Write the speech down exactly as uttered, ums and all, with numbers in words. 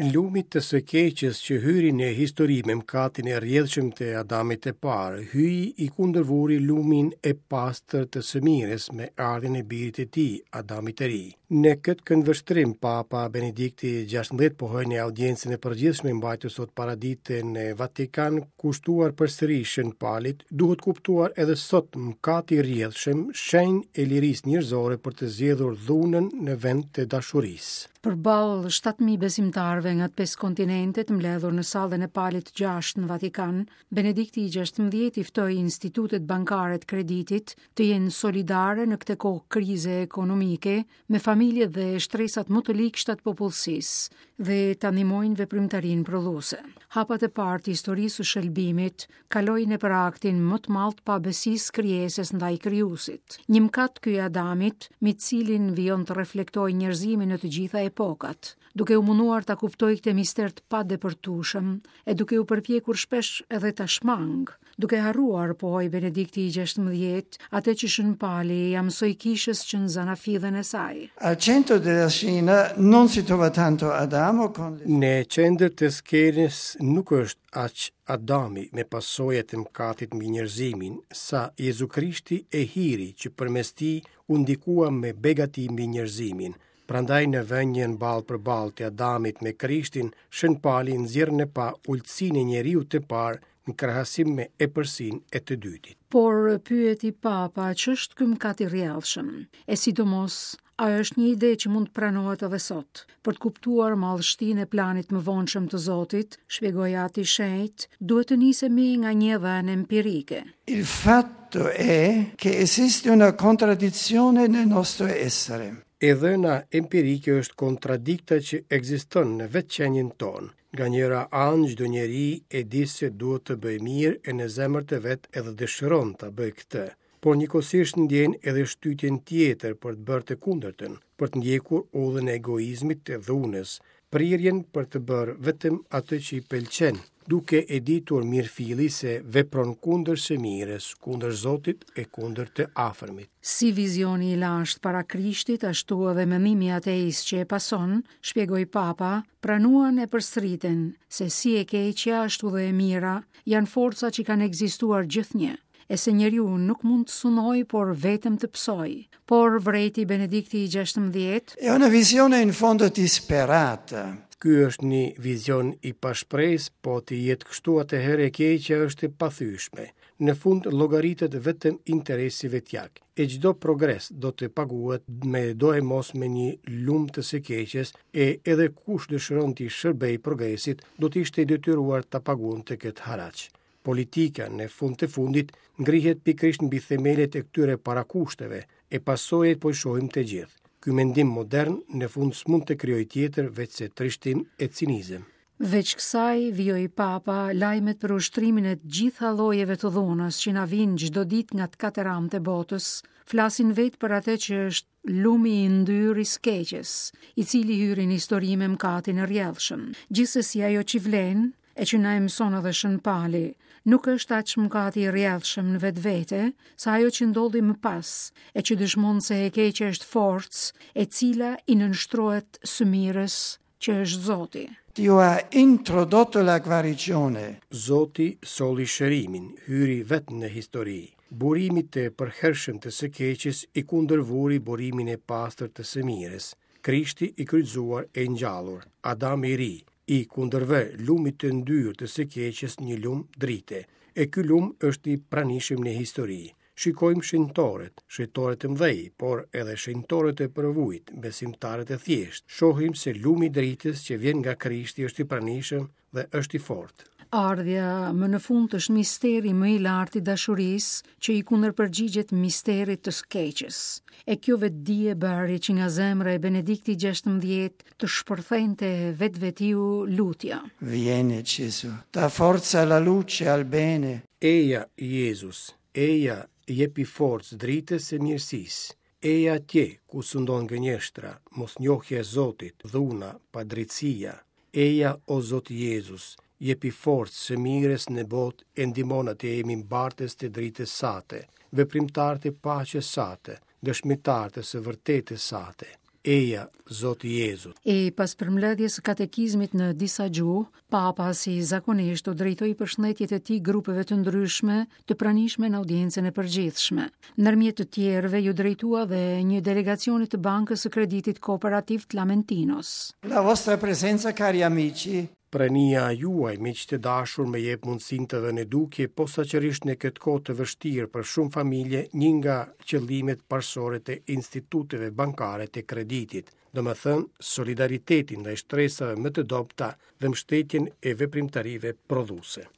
Lumit të së keqes që hyri në histori me mëkatin e rrjedhshëm të Adamit të parë, Hyji i kundërvuri lumin e pastër të së mirës me ardhjen e birit të tij, Adamit të ri. Në këtë këndvështrim, Papa Benedikti gjashtëmbëdhjetë pohoi në audiencën e përgjithshme mbajtur sot paradite në Vatikan, kushtuar përsëri Shën Palit, duhet kuptuar edhe sot mëkati i rrjedhshëm, shenjë e lirisë njerëzore për të zgjedhur dhunën në vend të dashurisë. Përballë shtatë mijë besimtarëve nga të pesë kontinentet mbledhur në sallën e Palit gjashtë në Vatikan, Benedikti i gjashtëmbëdhjetë i ftoi institutet bankare të kreditit të jenë solidare në këtë kohë krize ekonomike me familjet dhe shtresat më të ligshta të popullsisë dhe ta ndihmojnë veprimtarinë prodhuese. Hapat e parë të historisë së shëlbimit kalojnë nëpër aktin më të madh të pabesisë krijesës ndaj krijuesit. Një mëkat ky i Adamit, me të cilin vijon të reflektojë njerëzimin në të gjitha epokat, duke u munduar ta kuptojë këtë mister të padepërtueshëm e duke u përpjekur shpesh edhe ta shmang, duke harruar, pohoi Benedikti i gjashtëmbëdhjetë, atë që Shën Pali ja mësoi kishës që në zanafillën e saj. Al centro della scena non si trova tanto Adamo con le Në qendër të skenës nuk është aq Adami me pasojat e mëkatit mbi njerëzimin, sa Jezu Krishti e hiri që përmes tij u ndikua me begati mbi njerëzimin. Prandaj në vënien ballë për ballë të Adamit me Krishtin, Shën Pali nxjerr në pa ultësinë e njeriut të parë në krahasim me epërsinë e të dytit. Por pyeti Papa, ç'është ky mëkat i rrjedhshëm? E sidomos, ajo është një ide që mund të pranohet edhe sot. Për të kuptuar madhështinë e planit më vonshëm të Zotit, shpjegoi Ati Shenjt, duhet të nisemi nga një dhënë empirike. Il fatto è che esiste una contraddizione nel nostro essere. E dhëna empirike është kontradikta që ekziston në vetë qenien tonë. Nga njëra anë çdo njeri e di se duhet të bëjë mirë e në zemër të vet edhe dëshiron ta bëjë këtë, por njëkohësisht ndjen edhe shtytjen tjetër për të bërë të kundërtën, për të ndjekur udhën e egoizmit të dhunës, prirjen për të bërë vetëm atë që i pëlqen, duke e ditur mirëfilli se vepron kundër së mirës, kundër Zotit e kundër të afërmit. Si vizioni i lashtë para Krishtit, ashtu edhe mendimi ateist që e pason, shpjegoi Papa, pranuan e përsëritën se si e keqja ashtu dhe e mira janë forca që kanë ekzistuar gjithnjë, e se njeriu nuk mund të sunojë, por vetëm të psojë. Por vrejti Benedikti i gjashtëmbëdhjetë, È una visione in fondo disperata. Ky është një vizion i pashpresë, po të jetë kështu atëherë e keqja është e pathyeshme. Në fund llogaritet vetëm interesi vetjak, e çdo progres do të paguhet me doemos me një lum të së keqes, e edhe kush dëshiron t'i shërbej progresit, do të ishte i detyruar ta paguante këtë haraç. Politika në fund të fundit ngrihet pikërisht mbi themelet e këtyre parakushteve, e pasojat po i shohim të gjithë. Ky mendim modern në fund s'mund të krijojë tjetër veç se trishtim e cinizëm. Veç kësaj, vijoi Papa, lajmet për ushtrimin e të gjitha llojeve të dhunës që na vijnë çdo ditë nga të katër anët e botës, flasin vetë për atë që është lumi i ndyrë i së keqes, i cili hyri në histori me mëkatin e rrjedhshëm. Gjithsesi ajo që vlen, e që na e mëson edhe Shën Pali, nuk është aq mëkati i rrjedhshëm në vetvete, sa ajo që ndodhi më pas, e që dëshmon se e keqja është forcë, e cila i nënshtrohet së mirës që është Zoti. Dio ha introdotto la guarigione. Zoti solli shërimin, hyri vetë në histori. Burimit të përhershëm të së keqes i kundërvuri burimin e pastër të së mirës. Krishti i kryqëzuar e ngjallur, Adami i ri, i kundërvë lumit të ndyrë të së keqes një lum drite, e ky lum është i pranishëm në histori. Shikojmë shenjtorët, shenjtorët e mëdhej, por edhe shenjtorët e përvujt, besimtarët e thjeshtë. Shohim se lumi i dritës që vjen nga Krishti është i pranishëm dhe është i fortë. Ardhja më në fund është misteri më i lartë i dashurisë që i kundërpërgjigjet misterit të së keqes. E kjo vetëdije bëri që nga zemra e Benediktit gjashtëmbëdhjetë të shpërthente vetvetiu lutja. Vieni Gesù, da forza alla luce, al bene. Eja Jezus, eja jepi forcë dritës e mirësisë. Eja atje ku sundon gënjeshtra, mosnjohja e Zotit, dhuna, padrejtësia. Eja o Zot Jezus, jepi forcë së mirës në botë e ndihmon atë jemi mbartës të dritës sate, veprimtar të paqes sate, dëshmitar të së vërtetës sate. Eja, Zoti Jezu. E pas përmbledhjes së katekizmit në disa gjuhë, Papa si zakonisht u drejtoi përshëndetjet e tij grupeve të ndryshme të pranishme në audiencën e përgjithshme. Ndërmjet të tjerëve ju drejtua dhe një delegacioni të Bankës së Kreditit Kooperativ të Lamentinos. La vostra presenza, cari amici, Prania juaj, miq të dashur, më jep mundësinë të vë në dukje posaçërisht në këtë kohë të vështirë për shumë familje, një nga qëllimet parësore të instituteve bankare të kreditit, domethënë solidaritetin ndaj shtresave më të dobëta dhe mbështetjen e veprimtarive prodhuese.